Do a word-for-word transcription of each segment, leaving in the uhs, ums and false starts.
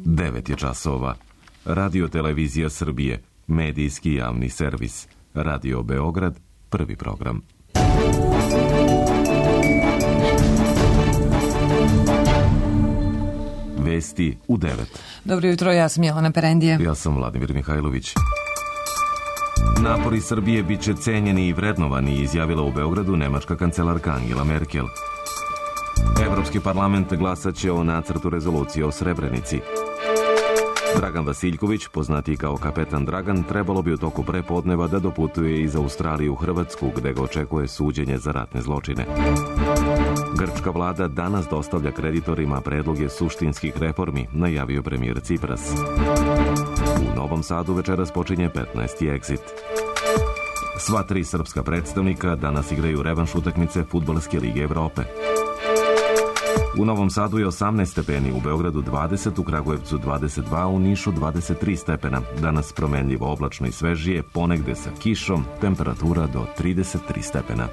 devet je časova. Radio Televizija Srbije, medijski javni servis. Radio Beograd, prvi program. Vesti u devet. Dobro jutro, ja sam Jelena Perendije. Ja sam Vladimir Mihajlović. Napori Srbije bit će cenjeni i vrednovani, izjavila u Beogradu nemačka kancelarka Angela Merkel. Evropski parlament glasat će o nacrtu rezolucije o Srebrenici. Dragan Vasiljković, poznati kao kapetan Dragan, trebalo bi u toku prepodneva da doputuje iz Australije u Hrvatsku, gde ga očekuje suđenje za ratne zločine. Grčka vlada danas dostavlja kreditorima predloge suštinskih reformi, najavio premijer Cipras. U Novom Sadu večeras počinje petnaesti Exit. Sva tri srpska predstavnika danas igraju revanš utakmice Fudbalske lige Evrope. U Novom Sadu je osamnaest stepeni, u Beogradu dvadeset, u Kragujevcu dvadeset dva, u Nišu dvadeset tri stepena. Danas promenljivo oblačno i svežije, ponegde sa kišom, temperatura do trideset tri stepena.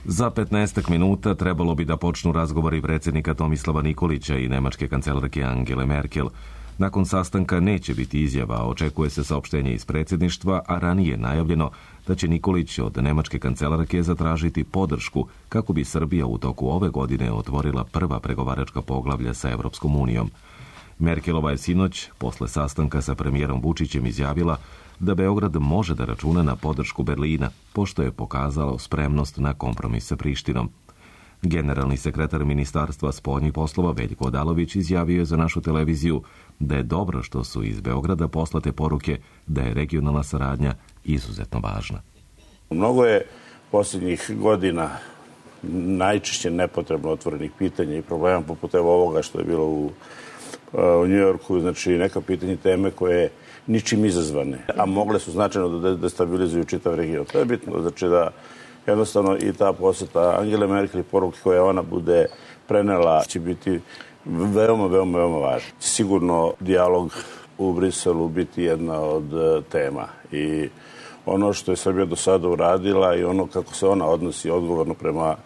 Za petnaestak minuta trebalo bi da počnu razgovori predsjednika Tomislava Nikolića i nemačke kancelarke Angele Merkel. Nakon sastanka neće biti izjava, očekuje se saopštenje iz predsjedništva, a ranije najavljeno da će Nikolić od nemačke kancelarke zatražiti podršku kako bi Srbija u toku ove godine otvorila prva pregovaračka poglavlja sa Evropskom unijom. Merkelova je sinoć, posle sastanka sa premijerom Vučićem, izjavila da Beograd može da računa na podršku Berlina, pošto je pokazalo spremnost na kompromis sa Prištinom. Generalni sekretar Ministarstva spoljnih poslova Veljko Odalović izjavio je za našu televiziju da je dobro što su iz Beograda poslate poruke da je regionalna saradnja izuzetno važna. Mnogo je posljednjih godina najčešće nepotrebno otvorenih pitanja i problema poput evo ovoga što je bilo u, u Njujorku, znači neka pitanja teme koje ničim izazvane, a mogle su značajno da destabilizuju čitav region. To je bitno, znači da jednostavno i ta posjeta Angele Merkel i poruke koje ona bude prenela će biti veoma, veoma, veoma važna. Sigurno dijalog u Briselu biti jedna od tema i ono što je Srbija do sada uradila i ono kako se ona odnosi odgovorno prema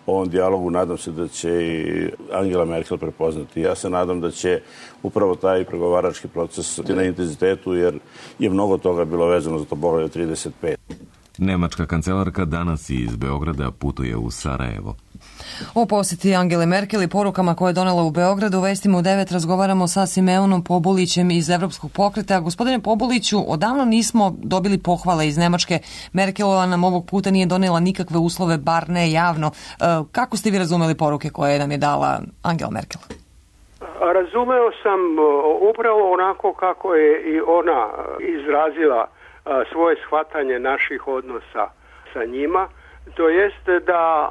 ovom dijalogu, nadam se da će i Angela Merkel prepoznati. Ja se nadam da će upravo taj pregovarački proces na intenzitetu, jer je mnogo toga bilo vezano za to poglavlje trideset pet. Nemačka kancelarka danas iz Beograda putuje u Sarajevo. O posjeti Angele Merkel i porukama koje je donela u Beogradu, vestima u devet razgovaramo sa Simeonom Pobulićem iz Evropskog pokreta. Gospodine Pobuliću, odavno nismo dobili pohvale iz Nemačke. Merkelova nam ovog puta nije donela nikakve uslove, bar ne javno. Kako ste vi razumeli poruke koje nam je dala Angela Merkel? Razumeo sam upravo onako kako je i ona izrazila svoje shvatanje naših odnosa sa njima. To jest da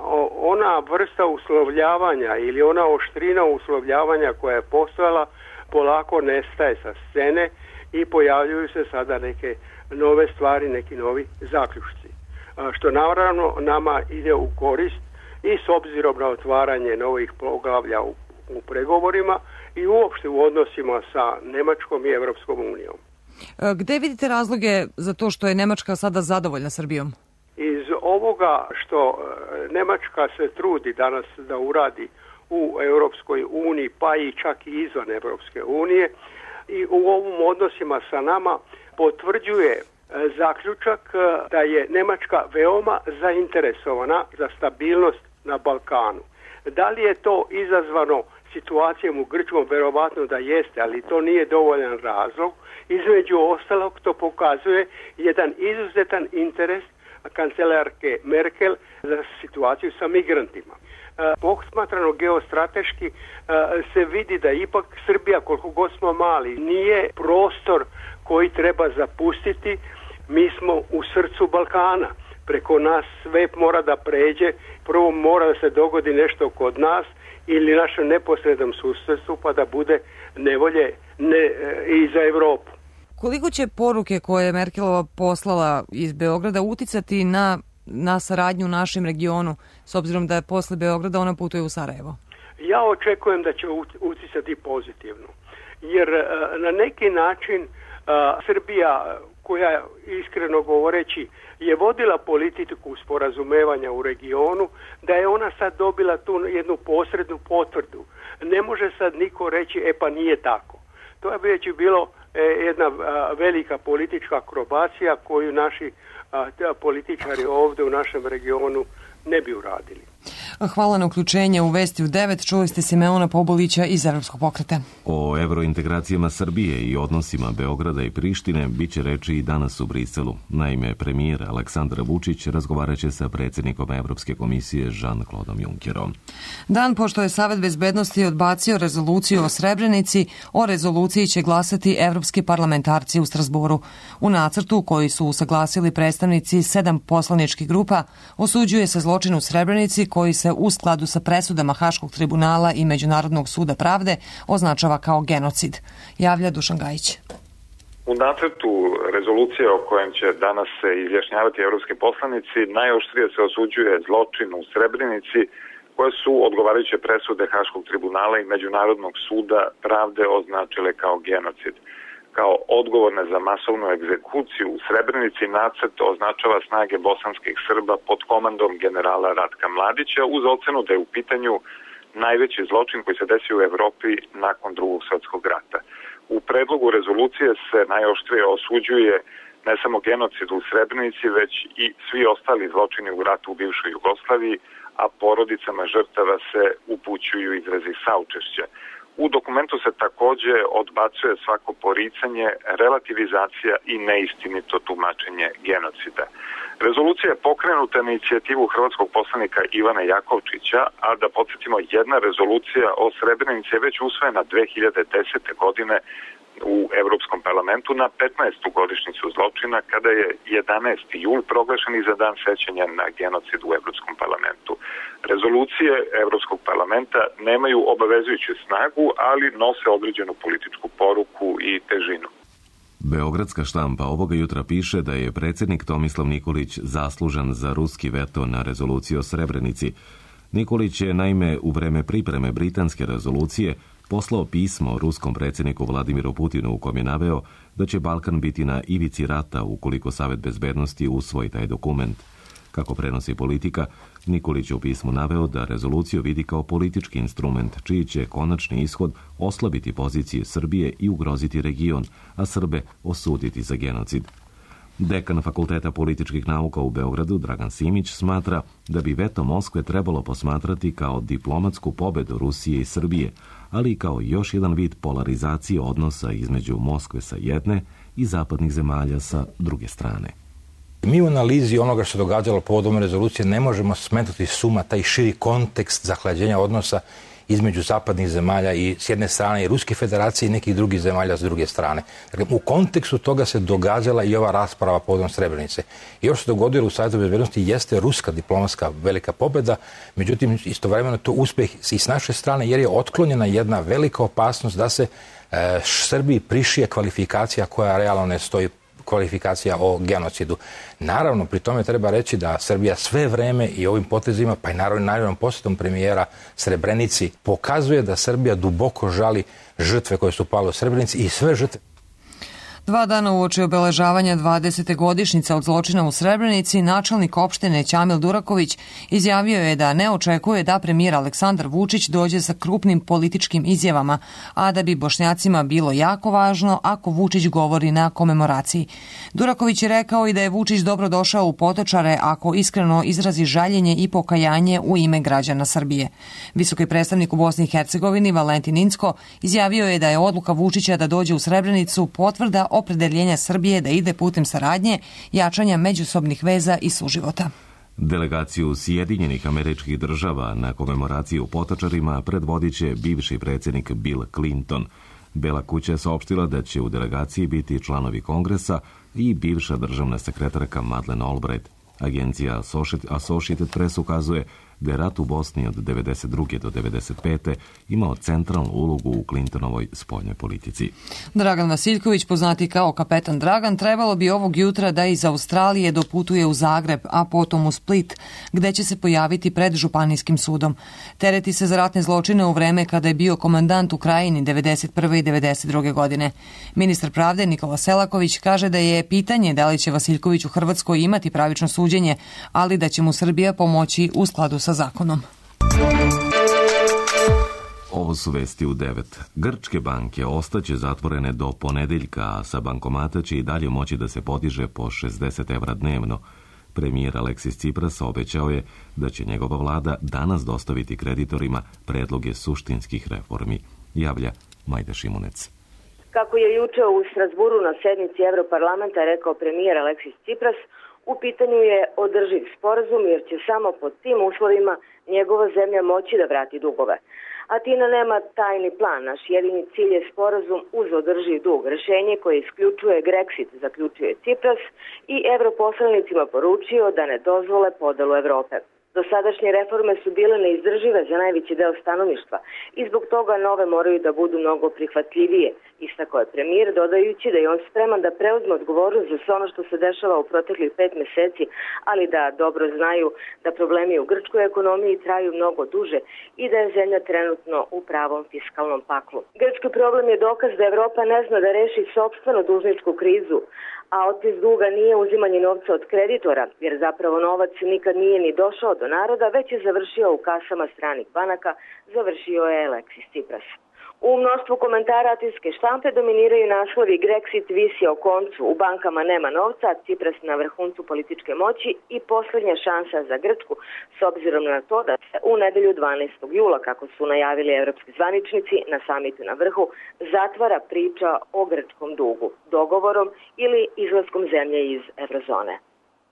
ona vrsta uslovljavanja ili ona oštrina uslovljavanja koja je postojala polako nestaje sa scene i pojavljuju se sada neke nove stvari, neki novi zaključci. Što naravno nama ide u korist i s obzirom na otvaranje novih poglavlja u, u pregovorima i uopšte u odnosima sa Nemačkom i Evropskom unijom. Gde vidite razloge za to što je Nemačka sada zadovoljna Srbijom? Iz ovoga što Nemačka se trudi danas da uradi u Europskoj uniji, pa i čak i izvan Europske unije, i u ovim odnosima sa nama potvrđuje zaključak da je Nemačka veoma zainteresovana za stabilnost na Balkanu. Da li je to izazvano situacijom u Grčkom? Verovatno da jeste, ali to nije dovoljan razlog. Između ostalog to pokazuje jedan izuzetan interes kancelarke Merkel za situaciju sa migrantima. Posmatrano geostrateški se vidi da ipak Srbija, koliko god smo mali, nije prostor koji treba zapustiti. Mi smo u srcu Balkana. Preko nas sve mora da pređe. Prvo mora da se dogodi nešto kod nas ili našem neposrednom susjedstvu, pa da bude nevolje ne, i za Evropu. Koliko će poruke koje je Merkelova poslala iz Beograda uticati na, na saradnju u našem regionu, s obzirom da je posle Beograda ona putuje u Sarajevo? Ja očekujem da će uticati pozitivno, jer na neki način Srbija koja, iskreno govoreći, je vodila politiku sporazumevanja u regionu, da je ona sad dobila tu jednu posrednu potvrdu. Ne može sad niko reći, e pa nije tako. To je već bilo e, jedna a, velika politička akrobacija koju naši a, političari ovdje u našem regionu ne bi uradili. Hvala na uključenje u Vesti u devet. Čuli ste Simeona Pobulića iz Evropskog pokreta. O evrointegracijama Srbije i odnosima Beograda i Prištine biće reči i danas u Briselu. Naime, premijer Aleksandar Vučić razgovarat će sa predsjednikom Evropske komisije Jean-Claude Junckerom. Dan pošto je Savet bezbednosti odbacio rezoluciju o Srebrenici, o rezoluciji će glasati evropski parlamentarci u Strasboru. U nacrtu koji su usaglasili predstavnici sedam poslaničkih grupa osuđuje se zločin u Srebrenici koji se u skladu sa presudama Haškog tribunala i Međunarodnog suda pravde označava kao genocid. Javlja Dušan Gajić. U nacrtu rezolucije o kojem će danas se izjašnjavati evropski poslanici najoštrije se osuđuje zločin u Srebrenici koje su odgovarajuće presude Haškog tribunala i Međunarodnog suda pravde označile kao genocid. Kao odgovorne za masovnu egzekuciju u Srebrenici nacrt označava snage bosanskih Srba pod komandom generala Ratka Mladića uz ocenu da je u pitanju najveći zločin koji se desio u Evropi nakon Drugog svjetskog rata. U predlogu rezolucije se najoštrije osuđuje ne samo genocid u Srebrenici, već i svi ostali zločini u ratu u bivšoj Jugoslaviji, a porodicama žrtava se upućuju izrazi saučešća. U dokumentu se takođe odbacuje svako poricanje, relativizacija i neistinito tumačenje genocida. Rezolucija je pokrenuta na inicijativu hrvatskog poslanika Ivana Jakovčića, a da podsjetimo, jedna rezolucija o Srebrenici je već usvojena dve hiljade desete. godine u Evropskom parlamentu na petnaestu godišnjicu zločina, kada je jedanaesti jul proglašen i za dan sećanja na genocid u Evropskom parlamentu. Rezolucije Evropskog parlamenta nemaju obavezujuću snagu, ali nose određenu političku poruku i težinu. Beogradska štampa ovoga jutra piše da je predsjednik Tomislav Nikolić zaslužan za ruski veto na rezoluciju o Srebrenici. Nikolić je naime u vreme pripreme britanske rezolucije poslao pismo ruskom predsjedniku Vladimiru Putinu u kojem je naveo da će Balkan biti na ivici rata ukoliko Savet bezbednosti usvoji taj dokument. Kako prenosi Politika, Nikolić je u pismu naveo da rezoluciju vidi kao politički instrument čiji će konačni ishod oslabiti pozicije Srbije i ugroziti region, a Srbe osuditi za genocid. Dekan Fakulteta političkih nauka u Beogradu, Dragan Simić, smatra da bi veto Moskve trebalo posmatrati kao diplomatsku pobedu Rusije i Srbije, ali i kao još jedan vid polarizacije odnosa između Moskve sa jedne i zapadnih zemalja sa druge strane. Mi u analizi onoga što se događalo povodom rezolucije ne možemo smetnuti suma taj širi kontekst zahlađenja odnosa između zapadnih zemalja i s jedne strane i Ruske federacije i nekih drugih zemalja s druge strane. Dakle, u kontekstu toga se događala i ova rasprava povodom Srebrenice. I ovo što se dogodilo u Savetu bezbednosti jeste ruska diplomatska velika pobjeda, međutim istovremeno to uspjeh i s naše strane jer je otklonjena jedna velika opasnost da se e, Srbiji prišije kvalifikacija koja realno ne stoji, kvalifikacija o genocidu. Naravno, pri tome treba reći da Srbija sve vreme i ovim potezima, pa i naravno naravno posjetom premijera Srebrenici, pokazuje da Srbija duboko žali žrtve koje su pale u Srebrenici i sve žrtve. Dva dana uoči obeležavanja dvadesete godišnjice od zločina u Srebrenici, načelnik opštine Ćamil Duraković izjavio je da ne očekuje da premijer Aleksandar Vučić dođe sa krupnim političkim izjavama, a da bi Bošnjacima bilo jako važno ako Vučić govori na komemoraciji. Duraković je rekao i da je Vučić dobro došao u Potočare ako iskreno izrazi žaljenje i pokajanje u ime građana Srbije. Visoki predstavnik u Bosni i Hercegovini Valentin Incko izjavio je da je odluka Vučića da dođe u Srebrenicu potvrda opredeljenja Srbije da ide putem saradnje, jačanja međusobnih veza i suživota. Delegaciju Sjedinjenih Američkih Država na komemoraciji u Potočarima predvodit će bivši predsjednik Bill Clinton. Bela kuća je saopštila da će u delegaciji biti članovi Kongresa i bivša državna sekretarka Madeleine Albright. Agencija Associated Press ukazuje da je rat u Bosni od devedeset druge do devedeset pete imao centralnu ulogu u Clintonovoj spoljnoj politici. Dragan Vasiljković, poznati kao kapetan Dragan, trebalo bi ovog jutra da iz Australije doputuje u Zagreb, a potom u Split, gde će se pojaviti pred Županijskim sudom. Tereti se za ratne zločine u vreme kada je bio komandant u Krajini devedeset prve i devedeset druge godine. Ministar pravde Nikola Selaković kaže da je pitanje da li će Vasiljković u Hrvatskoj imati pravično suđenje, ali da će mu Srbija pomoći u skladu sa zakonom. Ovo su vesti u devet. Grčke banke ostaće zatvorene do ponedeljka, a sa bankomata će i dalje moći da se podiže po šezdeset evra dnevno. Premijer Aleksis Tsipras obećao je da će njegova vlada danas dostaviti kreditorima predloge suštinskih reformi, javlja Majda Šimunec. Kako je juče u Strasburu na sednici Evroparlamenta rekao premijer Aleksis Tsipras, u pitanju je održiv sporazum jer će samo pod tim uslovima njegova zemlja moći da vrati dugove. Atina nema tajni plan, naš jedini cilj je sporazum uz održiv dug, rešenje koje isključuje Grexit, zaključuje Tsipras i evroposlanicima poručio da ne dozvole podelu Evrope. Dosadašnje reforme su bile neizdržive za najveći deo stanovništva i zbog toga nove moraju da budu mnogo prihvatljivije, istakao je premijer, dodajući da je on spreman da preuzme odgovornost za sve ono što se dešava u proteklih pet meseci, ali da dobro znaju da problemi u grčkoj ekonomiji traju mnogo duže i da je zemlja trenutno u pravom fiskalnom paklu. Grčki problem je dokaz da Evropa ne zna da reši sopstvenu dužničku krizu, a otpis duga nije uzimanje novca od kreditora, jer zapravo novac nikad nije ni došao do naroda, već je završio u kasama stranih banaka, završio je Aleksis Tsipras. U mnoštvu komentara atinske štampe dominiraju naslovi Grexit visi o koncu, u bankama nema novca, Tsipras na vrhuncu političke moći i posljednja šansa za Grčku, s obzirom na to da se u nedelju dvanaestog jula, kako su najavili evropski zvaničnici na samitu na vrhu, zatvara priča o grčkom dugu, dogovorom ili izlaskom zemlje iz eurozone.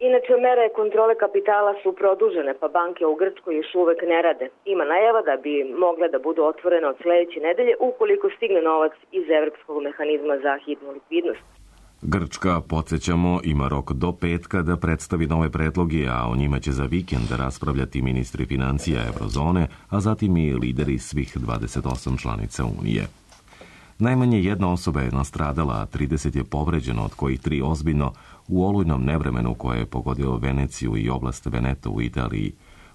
Inače, mere kontrole kapitala su produžene, pa banke u Grčkoj još uvek ne rade. Ima najava da bi mogle da budu otvorene od sledeće nedelje ukoliko stigne novac iz Evropskog mehanizma za hitnu likvidnost. Grčka, podsjećamo, ima rok do petka da predstavi nove predloge, a o njima će za vikend raspravljati ministri financija eurozone, a zatim i lideri svih dvadeset osam članica Unije. Najmanje jedna osoba je nastradala, a trideset je povređeno, od kojih tri ozbiljno, u olujnom nevremenu koje je pogodilo Veneciju i oblast Veneto u Italiji.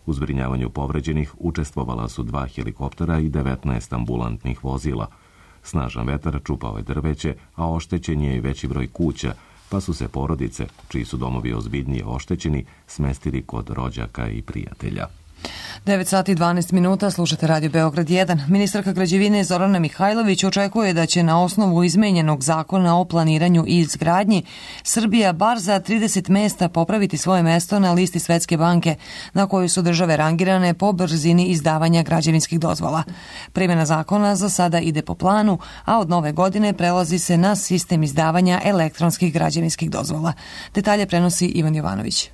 U zbrinjavanju povređenih učestvovala su dva helikoptera i devetnaest ambulantnih vozila. Snažan vetar čupao je drveće, a oštećen je i veći broj kuća, pa su se porodice, čiji su domovi ozbiljnije oštećeni, smestili kod rođaka i prijatelja. devet sati i dvanaest minuta, slušate Radio Beograd jedan. Ministarka građevine Zorana Mihajlović očekuje da će na osnovu izmenjenog zakona o planiranju i izgradnji Srbija bar za trideset mesta popraviti svoje mesto na listi Svetske banke na kojoj su države rangirane po brzini izdavanja građevinskih dozvola. Primjena zakona za sada ide po planu, a od nove godine prelazi se na sistem izdavanja elektronskih građevinskih dozvola. Detalje prenosi Ivan Jovanović.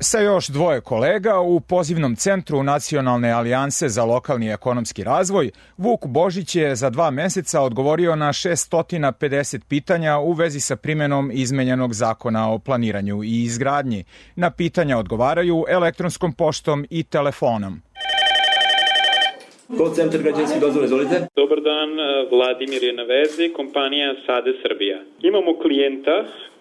Sa još dvoje kolega u pozivnom centru Nacionalne alijanse za lokalni ekonomski razvoj, Vuk Božić je za dva meseca odgovorio na šesto pedeset pitanja u vezi sa primjenom izmenjenog zakona o planiranju i izgradnji. Na pitanja odgovaraju elektronskom poštom i telefonom. Call centar građevinske dozvole, izvolite. Dobar dan, Vladimir je na vezi, kompanija Sade Srbija. Imamo klijenta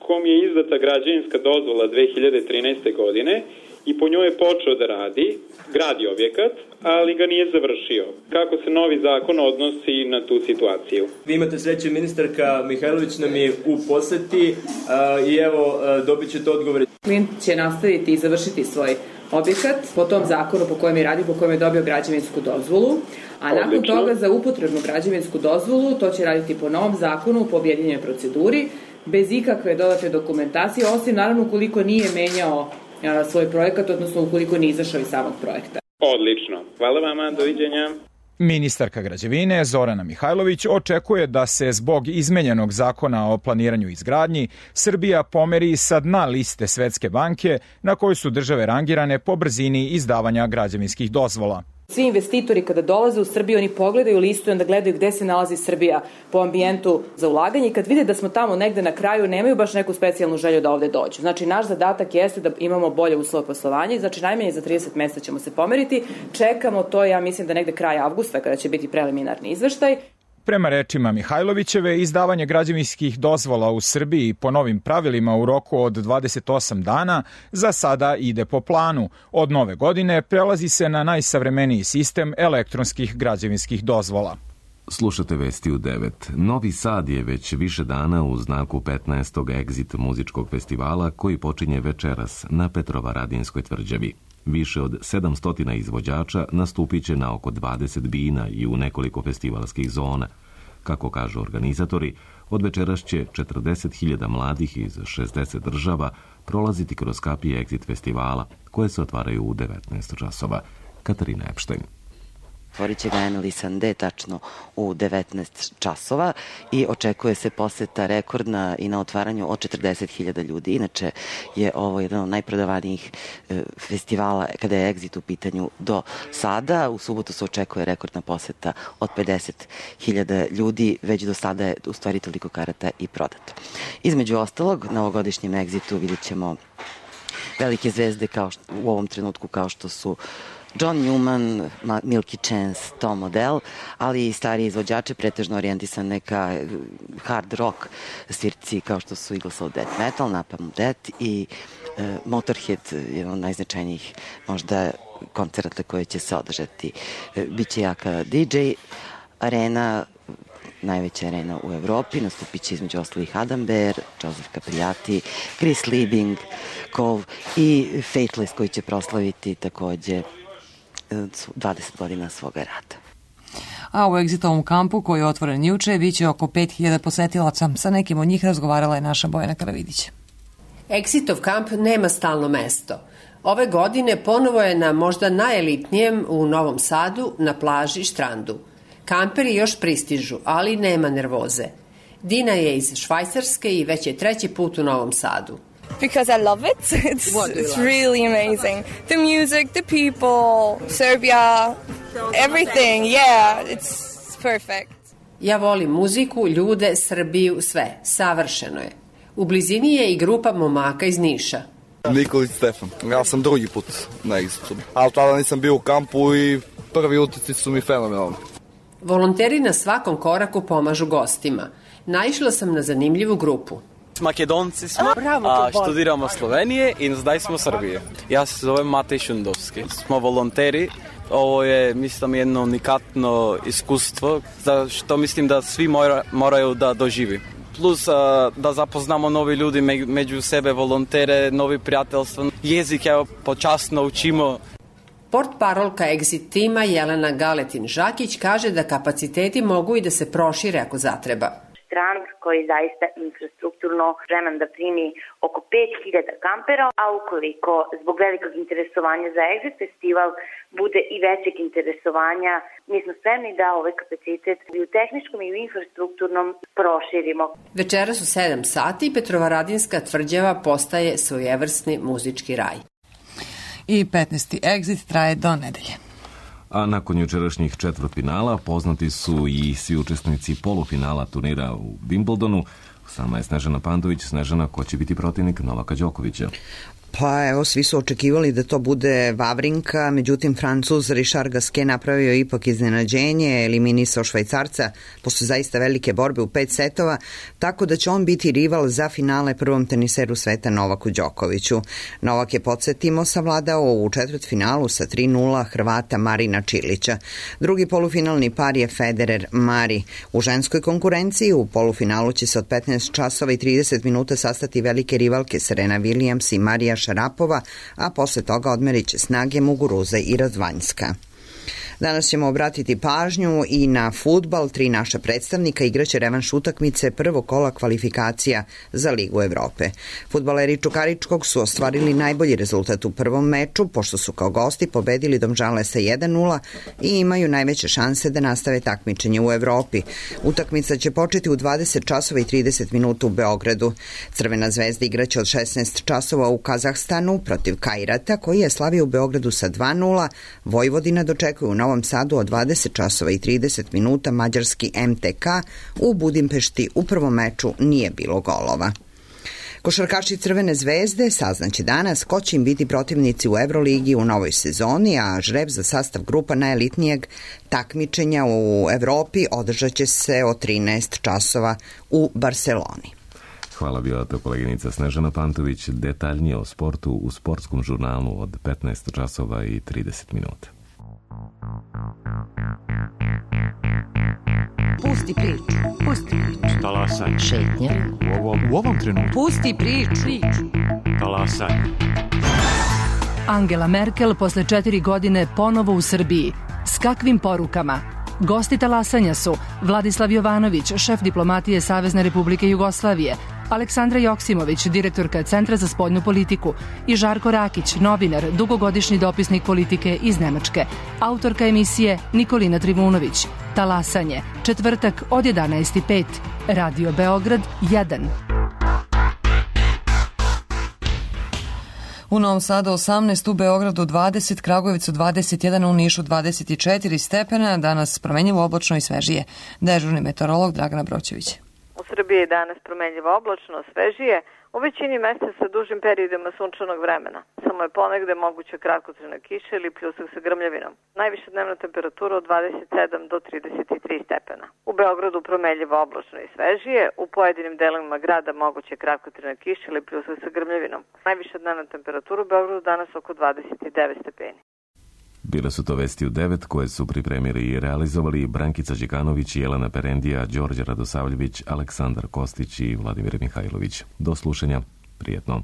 kom je izdata građevinska dozvola dve hiljade trinaeste. godine i po njoj je počeo da radi, gradi objekat, ali ga nije završio. Kako se novi zakon odnosi na tu situaciju? Vi imate sreće, ministarka Mihajlović nam je u poseti uh, i evo uh, dobit ćete odgovore. Klijent će nastaviti i završiti svoj objekat po tom zakonu po kojem je radi, po kojem je dobio građevinsku dozvolu, a nakon Odlično. toga za upotrebnu građevinsku dozvolu to će raditi po novom zakonu, po objedinjenoj proceduri, bez ikakve dodatne dokumentacije, osim naravno ukoliko nije menjao a, svoj projekat, odnosno ukoliko nije izašao iz samog projekta. Odlično. Hvala vama, doviđenja. Ministarka građevine Zorana Mihajlović očekuje da se zbog izmenjenog zakona o planiranju i izgradnji Srbija pomeri sa dna liste Svetske banke na kojoj su države rangirane po brzini izdavanja građevinskih dozvola. Svi investitori kada dolaze u Srbiju, oni pogledaju listu i onda gledaju gde se nalazi Srbija po ambijentu za ulaganje i kad vide da smo tamo negde na kraju, nemaju baš neku specijalnu želju da ovde dođu. Znači, naš zadatak jeste da imamo bolje uslove poslovanja, znači najmanje za trideset mesta ćemo se pomeriti. Čekamo to, ja mislim da negde kraj avgusta kada će biti preliminarni izveštaj. Prema rečima Mihajlovićeve, izdavanje građevinskih dozvola u Srbiji po novim pravilima u roku od dvadeset osam dana za sada ide po planu. Od nove godine prelazi se na najsavremeniji sistem elektronskih građevinskih dozvola. Slušate vesti u devet. Novi Sad je već više dana u znaku petnaestog Exit muzičkog festivala koji počinje večeras na Petrovaradinskoj tvrđavi. Više od sedamsto izvođača nastupit će na oko dvadeset bina i u nekoliko festivalskih zona. Kako kažu organizatori, od večeras će četrdeset hiljada mladih iz šezdeset država prolaziti kroz kapije Exit festivala, koje se otvaraju u devetnaest časova. Katarina Epštajn. Otvorit će ga Emily Sandé tačno u devetnaest časova i očekuje se poseta rekordna i na otvaranju od četrdeset hiljada ljudi. Inače je ovo jedan od najprodavanijih festivala kada je Exit u pitanju do sada. U subotu se očekuje rekordna poseta od pedeset hiljada ljudi. Već do sada je u stvari toliko karata i prodato. Između ostalog, na ovogodišnjem Exitu vidjet ćemo velike zvezde kao što, u ovom trenutku kao što su John Newman, Milky Chance, Tom Odell, ali i stariji izvođače, pretežno orijentisane ka hard rock svirci kao što su Eagles of Death Metal, Napalm Death i uh, Motorhead, jedan od najznačajnijih možda koncerata koje će se održati. Uh, Biće jaka D J arena, najveća arena u Evropi, nastupit će između ostalih Adam Bear, Joseph Capriati, Chris Liebing, Cove i Faithless koji će proslaviti takođe dvadeset godina svoga rada. A u Exitovom kampu koji je otvoren juče biće oko pet hiljada posetilaca. Sa nekim od njih razgovarala je naša Bojana Karavidić. Exitov kamp nema stalno mesto. Ove godine ponovo je na možda najelitnijem u Novom Sadu na plaži Štrandu. Kamperi još pristižu, ali nema nervoze. Dina je iz Švajcarske i već je treći put u Novom Sadu. Because I love it. It's, it's really amazing. The music, the people, Serbia, everything. Yeah, it's perfect. Ja volim muziku, ljude, Srbiju, sve. Savršeno je. U blizini je i grupa momaka iz Niša. Nikolić Stefan. Ja sam drugi put na Exitu. Ali tada nisam bio u kampu i prvi utisci su mi fenomenalni. Volonteri na svakom koraku pomažu gostima. Naišla sam na zanimljivu grupu. Makedonci smo, a študiramo Slovenije i zdaj smo Srbije. Ja se zovem Matej Šundovski. Smo volonteri. Ovo je, mislim, jedno unikatno iskustvo, za što mislim da svi mora, moraju da doživi. Plus a, da zapoznamo novi ljudi među sebe, volontere, novi prijateljstva. Jezik je počasno učimo. Portparolka Exit tima Jelena Galetin-Žakić kaže da kapaciteti mogu i da se prošire ako zatreba. Strand koji je zaista infrastrukturno spreman da primi oko pet hiljada kampera, a ukoliko zbog velikog interesovanja za Exit festival bude i većeg interesovanja, mi smo spremni da ovaj kapacitet i u tehničkom i u infrastrukturnom proširimo. Večeras u sedam sati Petrovaradinska tvrđava postaje svojevrsni muzički raj. I petnaesti Exit traje do nedelje. A nakon jučerašnjih četvrtfinala poznati su i svi učesnici polufinala turnira u Wimbledonu. Sama je Snežana Pandović. Snežana, ko će biti protivnik Novaka Đokovića? Pa evo, svi su očekivali da to bude Vavrinka, međutim Francuz Richard Gasquet napravio ipak iznenađenje, eliminisao Švajcarca posle zaista velike borbe u pet setova, tako da će on biti rival za finale prvom teniseru sveta Novaku Đokoviću. Novak je, podsjetimo, savladao u četvrtfinalu sa tri nula Hrvata Marina Čilića. Drugi polufinalni par je Federer Mari. U ženskoj konkurenciji u polufinalu će se od petnaest časova i trideset minuta sastati velike rivalke Serena Williams i Marija Šarapova, a posle toga odmerit će snage Muguruza i Radvanjska. Danas ćemo obratiti pažnju i na fudbal. Tri naša predstavnika igraće revanš utakmice prvog kola kvalifikacija za Ligu Evrope. Fudbaleri Čukaričkog su ostvarili najbolji rezultat u prvom meču, pošto su kao gosti pobedili Domžale sa jedan nula i imaju najveće šanse da nastave takmičenje u Evropi. Utakmica će početi u dvadeset časova i trideset minuta u Beogradu. Crvena zvezda igraće od šesnaest časova u Kazahstanu protiv Kajrata, koji je slavio u Beogradu sa dva nula. Vojvodina dočekuje u Novom Sadu od dvadeset časova i trideset minuta mađarski em te ka. U Budimpešti u prvom meču nije bilo golova. Košarkaši Crvene zvezde saznaće danas ko će im biti protivnici u Evroligi u novoj sezoni, a žreb za sastav grupa najelitnijeg takmičenja u Evropi održat će se od trinaest časova u Barseloni. Hvala, bila to koleginica Snežana Pantović. Detaljnije o sportu u sportskom žurnalu od petnaest časova i trideset minuta. Pusti priču, pusti priču. Talasaj. Šetnja. U ovom, u ovom trenutku. Pusti priču. Talasaj. Angela Merkel posle četiri godine ponovo u Srbiji. S kakvim porukama? Gosti talasanja su Vladislav Jovanović, šef diplomatije Savezne Republike Jugoslavije, Aleksandra Joksimović, direktorka Centra za spoljnu politiku i Žarko Rakić, novinar, dugogodišnji dopisnik politike iz Nemačke, autorka emisije Nikolina Trivunović. Talasanje, četvrtak od jedanaest i pet, Radio Beograd jedan. U Novom Sadu osamnaest, u Beogradu dvadeset, Kragujevcu dvadeset jedan, u Nišu dvadeset četiri stepena, danas promenljivo oblačno i svežije. Dežurni meteorolog Dragana Broćević. U Srbiji je danas promenljivo oblačno, svežije, u većini mesta sa dužim periodima sunčanog vremena. Samo je ponegde moguća kratkotrajna kiša ili pljusak sa grmljavinom. Najviša dnevna temperatura od dvadeset sedam do trideset tri stepena. U Beogradu promenljivo oblačno i svežije, u pojedinim delovima grada moguća kratkotrajna kiša ili pljusak sa grmljavinom. Najviša dnevna temperatura u Beogradu danas oko dvadeset devet stepeni. Bile su to vesti u devet koje su pripremili i realizovali Brankica Đekanović, Jelena Perendija, Đorđe Radosavljević, Aleksandar Kostić i Vladimir Mihajlović. Do slušanja, prijetno.